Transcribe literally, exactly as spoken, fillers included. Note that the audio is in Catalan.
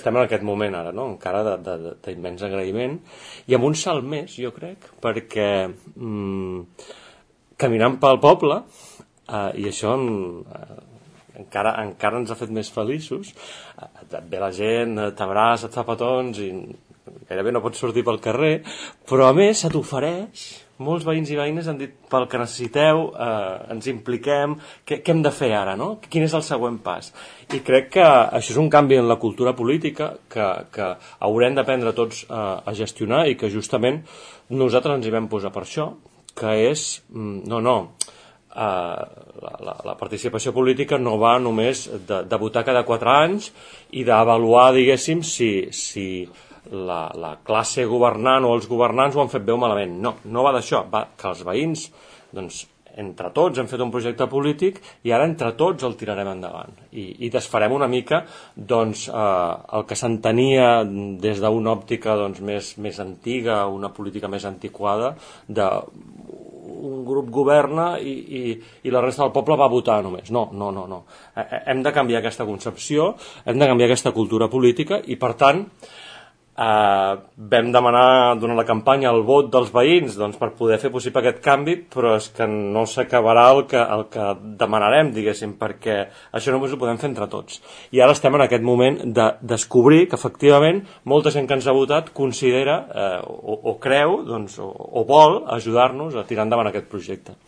estem en aquest moment ara, no? Encara d'immens agraïment, i amb un salt més, jo crec, perquè mm, caminant pel poble, eh, i això eh, encara, encara ens ha fet més feliços, eh, et ve la gent, t'abraça, et fa petons, i gairebé no pots sortir pel carrer, però a més se t'ofereix. Molts veïns i veïnes han dit pel que necessiteu, eh, ens impliquem, què, què hem de fer ara, no? Quin és el següent pas? I crec que això és un canvi en la cultura política que, que haurem d'aprendre tots eh, a gestionar i que justament nosaltres ens hi vam posar per això, que és, no, no, eh, la, la, la participació política no va només de, de votar cada quatre anys i d'avaluar, diguéssim, si... si La, la classe governant o els governants ho han fet bé o malament. No, no va d'això, va que els veïns, doncs, entre tots hem fet un projecte polític i ara entre tots el tirarem endavant i, i desfarem una mica doncs, eh, el que s'entenia des d'una òptica doncs, més, més antiga, una política més antiquada, de un grup governa i, i, i la resta del poble va votar només. No, no, no, no. Hem de canviar aquesta concepció, hem de canviar aquesta cultura política i, per tant, Uh, vam demanar durant la campanya el vot dels veïns doncs, per poder fer possible aquest canvi, però és que no s'acabarà el que, el que demanarem, diguéssim, perquè això només ho podem fer entre tots. I ara estem en aquest moment de descobrir que efectivament molta gent que ens ha votat considera uh, o, o creu doncs, o, o vol ajudar-nos a tirar endavant aquest projecte.